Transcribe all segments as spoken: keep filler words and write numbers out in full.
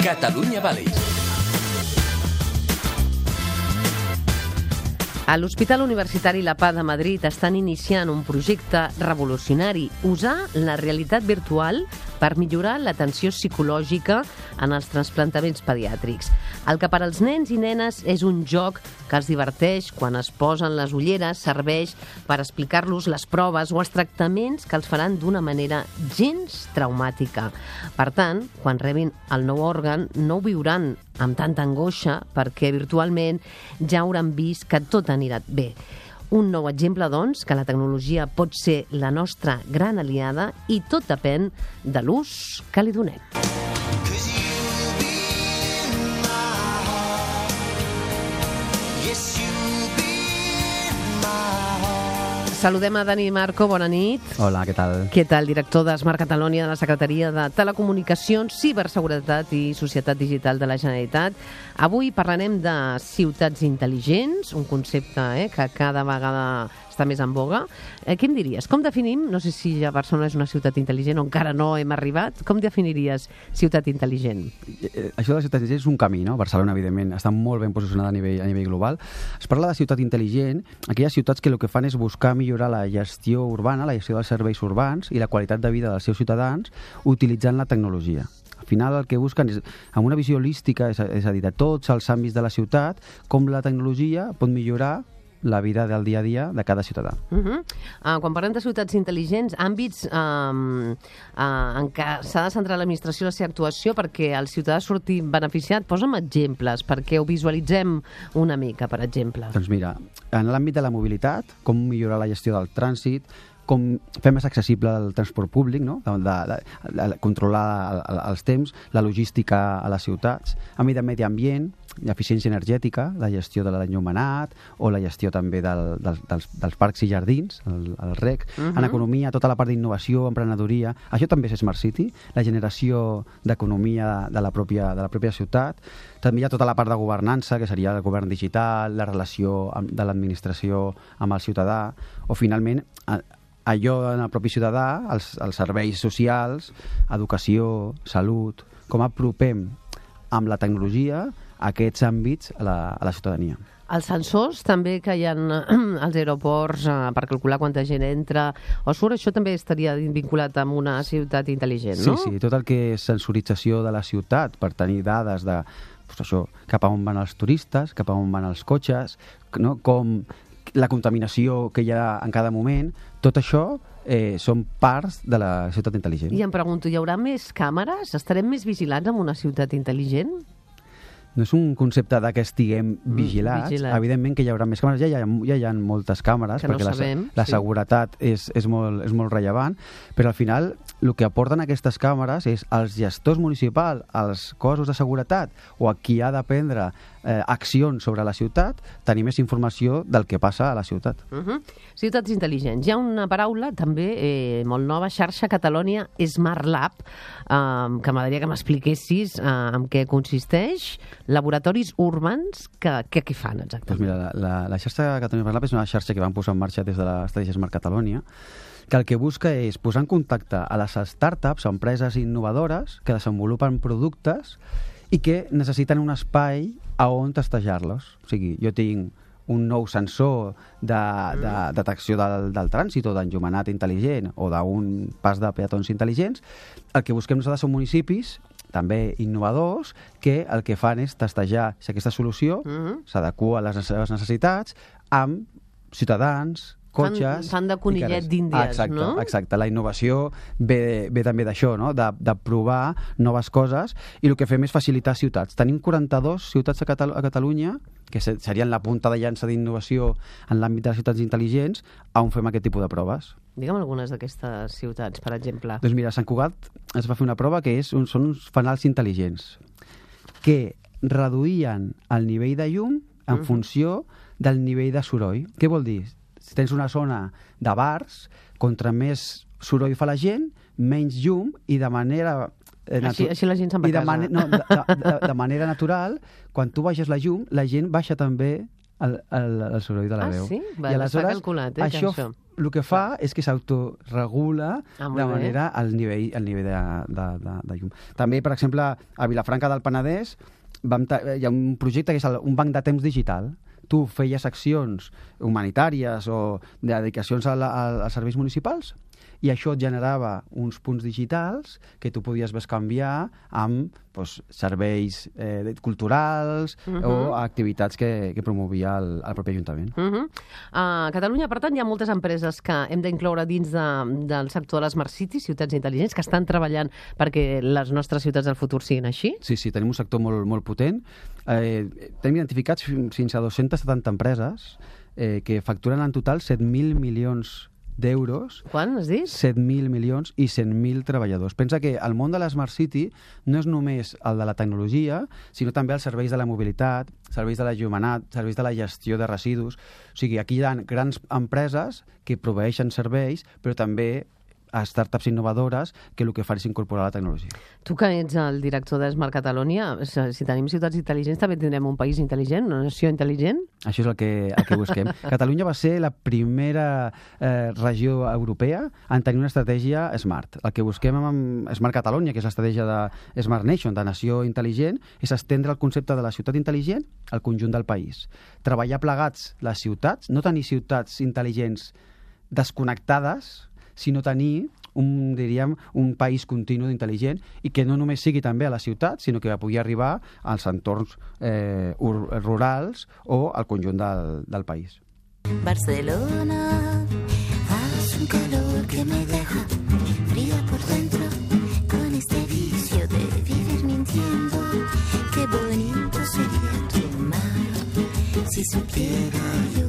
Catalunya Valley. A l'Hospital Universitari La Paz de Madrid estan iniciant un projecte revolucionari, usar la realitat virtual per millorar l'atenció psicològica en els trasplantaments pediàtrics. El que per als nens i nenes és un joc que els diverteix quan es posen les ulleres, serveix per explicar-los les proves o els tractaments que els faran d'una manera gens traumàtica. Per tant, quan rebin el nou òrgan, no ho viuran amb tanta angoixa perquè virtualment ja hauran vist que tot anirà bé. Un nou exemple, doncs, que la tecnologia pot ser la nostra gran aliada i tot depèn de l'ús que li donem. Saludem a Dani Marco, bona nit. Hola, què tal? Què tal, director d'Smart Catalonia de la Secretaria de Telecomunicacions, Ciberseguretat i Societat Digital de la Generalitat. Avui parlarem de ciutats intel·ligents, un concepte eh, que cada vegada està més en boga. Eh, què em diries? Com definim, no sé si ja Barcelona és una ciutat intel·ligent o encara no hem arribat, com definiries ciutat intel·ligent? Això de la ciutat intel·ligent és un camí, no? Barcelona, evidentment, està molt ben posicionada a nivell, a nivell global. Es parla de ciutat intel·ligent, aquelles ciutats que el que fan és buscar millorar la gestió urbana, la gestió dels serveis urbans i la qualitat de vida dels seus ciutadans utilitzant la tecnologia. Al final el que busquen és, amb una visió holística, és a, és a dir, de tots els àmbits de la ciutat, com la tecnologia pot millorar la vida del dia a dia de cada ciutadà. Uh -huh. uh, quan parlem de ciutats intel·ligents, àmbits um, uh, en què s'ha de centrar l'administració la seva actuació perquè el ciutadà surti beneficiat, posa'm exemples perquè ho visualitzem una mica, per exemple. Doncs mira, en l'àmbit de la mobilitat, com millorar la gestió del trànsit, com fer més accessible el transport públic, no? de, de, de, de controlar el, el, els temps, la logística a les ciutats, àmbit de medi ambient, l'eficiència energètica, la gestió de l'enllumenat o la gestió també del, del, dels, dels parcs i jardins, el, el R E C. Uh-huh. En economia, tota la part d'innovació, emprenedoria, això també és Smart City, la generació d'economia de la pròpia, de la pròpia ciutat. També hi ha tota la part de governança, que seria el govern digital, la relació de l'administració amb el ciutadà, o finalment allò en el propi ciutadà, els, els serveis socials, educació, salut, com apropem amb la tecnologia aquests àmbits a la, a la ciutadania. Els sensors també que hi ha als aeroports eh, per calcular quanta gent entra o surt, això també estaria vinculat amb una ciutat intel·ligent, no? Sí, sí, tot el que és sensorització de la ciutat per tenir dades de doncs això, cap a on van els turistes, cap a on van els cotxes, no? Com la contaminació que hi ha en cada moment, tot això eh, són parts de la ciutat intel·ligent. I em pregunto, hi haurà més càmeres? Estarem més vigilats en una ciutat intel·ligent? No és un concepte de que estiguem vigilats. Mm, vigilat. Evidentment que hi haurà més càmeres. Ja hi ha, ja hi ha moltes càmeres, que perquè no sabem, la, la sí. seguretat és, és, molt, és molt rellevant, però al final el que aporten aquestes càmeres és als gestors municipals, als cossos de seguretat o a qui ha de prendre eh, accions sobre la ciutat, tenir més informació del que passa a la ciutat. Uh -huh. Ciutats intel·ligents. Hi ha una paraula també eh, molt nova, xarxa Catalonia Smart Lab, eh, que m'agradaria que m'expliquessis eh, en què consisteix. Laboratoris urbans, que, que què fan exactament? Doncs mira, la, la, la xarxa Catalonia Smart Lab és una xarxa que van posar en marxa des de l'estratègia Smart Catalonia, que el que busca és posar en contacte a les startups, empreses innovadores que desenvolupen productes i que necessiten un espai a on testejar-los. O sigui, jo tinc un nou sensor de, de detecció del, del trànsit o d'enllumenat intel·ligent o d'un pas de peatons intel·ligents. El que busquem nosaltres són municipis també innovadors, que el que fan és testejar si aquesta solució uh-huh. s'adequa a les seves necessitats amb ciutadans, cotxes... Fan, fan de conillet d'índies, exacte, no? Exacte, la innovació ve, ve també d'això, no? de, de provar noves coses, i el que fem és facilitar ciutats. Tenim quaranta-dues ciutats a, Catal a Catalunya, que serien la punta de llança d'innovació en l'àmbit de les ciutats intel·ligents, on fem aquest tipus de proves. Digue'm algunes d'aquestes ciutats, per exemple. Doncs mira, a Sant Cugat es va fer una prova que és un, són uns fanals intel·ligents que reduïen el nivell de llum en uh-huh. funció del nivell de soroll. Què vol dir? Si tens una zona de bars, contra més soroll fa la gent, menys llum, i de manera... Eh, així, així la gent se'n va i de a casa. Man no, de, de, de manera natural, quan tu baixes la llum, la gent baixa també el, el, el soroll de la ah, veu. Ah, sí? Va, I aleshores, està calculat, eh, això, això el que fa és que s'autoregula Ah, molt de bé. manera al nivell, al nivell de, de, de, de llum. També, per exemple, a Vilafranca del Penedès vam ta- hi ha un projecte que és el, un banc de temps digital. Tu feies accions humanitàries o de dedicacions a la, a, als serveis municipals i això et generava uns punts digitals que tu podies bescanviar amb doncs, serveis eh, culturals uh -huh. o activitats que, que promovia el, el propi Ajuntament. Uh -huh. A Catalunya, per tant, hi ha moltes empreses que hem d'incloure dins de, del sector de les Smart Cities, ciutats intel·ligents, que estan treballant perquè les nostres ciutats del futur siguin així. Sí, sí, tenim un sector molt, molt potent. Eh, tenim identificats fins a dues-centes setanta empreses eh, que facturen en total set mil milions d'euros, Quan, has dit? set mil milions i cent mil treballadors. Pensa que el món de la Smart City no és només el de la tecnologia, sinó també els serveis de la mobilitat, serveis de l'enllumenat, serveis de la gestió de residus. O sigui, aquí hi ha grans empreses que proveeixen serveis, però també a startups innovadores que el que fan és incorporar la tecnologia. Tu que ets el director de Smart Catalonia, si tenim ciutats intel·ligents també tindrem un país intel·ligent, una nació intel·ligent? Això és el que, el que busquem. Catalunya va ser la primera eh, regió europea en tenir una estratègia smart. El que busquem amb Smart Catalonia, que és l'estratègia de Smart Nation, de nació intel·ligent, és estendre el concepte de la ciutat intel·ligent al conjunt del país. Treballar plegats les ciutats, no tenir ciutats intel·ligents desconnectades, sinó tenir un, diríem, un país continu intel·ligent i que no només sigui també a la ciutat, sinó que pugui arribar als entorns eh, rurals o al conjunt del, del país. Barcelona, hace un calor que me deja fría por dentro con este vicio de vivir mintiendo. Qué bonito sería tu mar si supiera yo.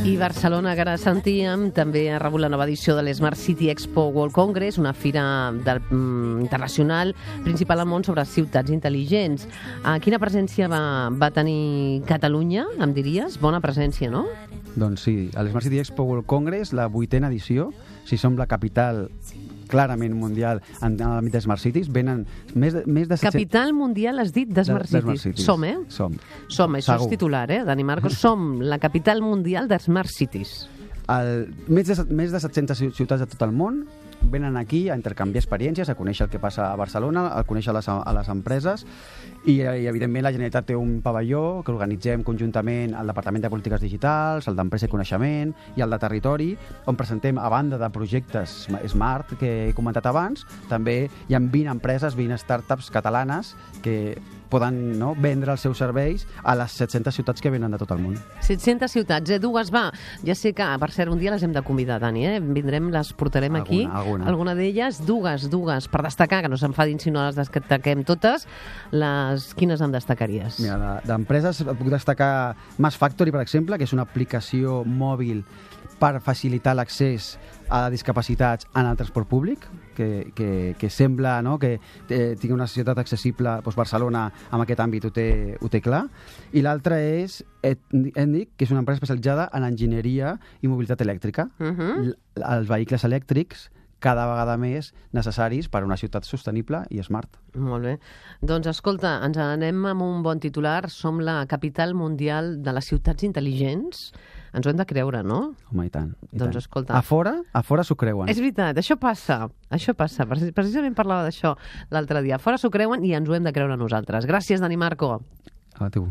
I Barcelona, que ara sentíem, també ha rebut la nova edició de l'Smart City Expo World Congress, una fira del, mm, internacional principal al món sobre ciutats intel·ligents. Uh, quina presència va, va tenir Catalunya, em diries? Bona presència, no? Doncs sí, a l'Smart City Expo World Congress, la vuitena edició, si som la capital clarament mundial en l'àmbit de Smart Cities, venen més de, més de set cents... Capital mundial, has dit, de Smart de, de Cities. Smart Cities. Som, eh? Som. Som, això Segur. és titular, eh, Dani Marcos. Som la capital mundial de Smart Cities. El, més, de, més de set-centes ciutats de tot el món venen aquí a intercanviar experiències, a conèixer el que passa a Barcelona, a conèixer les, a les empreses i, i evidentment la Generalitat té un pavelló que organitzem conjuntament al Departament de Polítiques Digitals, el d'Empresa i Coneixement i el de Territori, on presentem, a banda de projectes Smart que he comentat abans, també hi ha vint empreses, vint startups catalanes que poden, no, vendre els seus serveis a les set-centes ciutats que venen de tot el món. set-centes ciutats, eh? Dues, va. Ja sé que, per cert, un dia les hem de convidar, Dani, eh? Vindrem, les portarem Alguna, aquí. alguna. Alguna d'elles, dues, dues, per destacar, que no s'enfadin si no les destaquem totes. Les... Quines en destacaries? Mira, d'empreses puc destacar Mass Factory, per exemple, que és una aplicació mòbil per facilitar l'accés a discapacitats en el transport públic, que, que, que sembla, no?, que eh, tingui una societat accessible. Doncs Barcelona en aquest àmbit ho té, ho té clar. I l'altra és Etnic, que és una empresa especialitzada en enginyeria i mobilitat elèctrica. Uh -huh. Els vehicles elèctrics cada vegada més necessaris per a una ciutat sostenible i smart. Molt bé. Doncs escolta, ens anem amb un bon titular. Som la capital mundial de les ciutats intel·ligents. Ens ho hem de creure, no? Home, i tant. I Doncs tant. escolta... A fora, a fora s'ho creuen. És veritat, això passa. Això passa. Precisament parlava d'això l'altre dia. A fora s'ho creuen i ens ho hem de creure nosaltres. Gràcies, Dani Marco. A tu.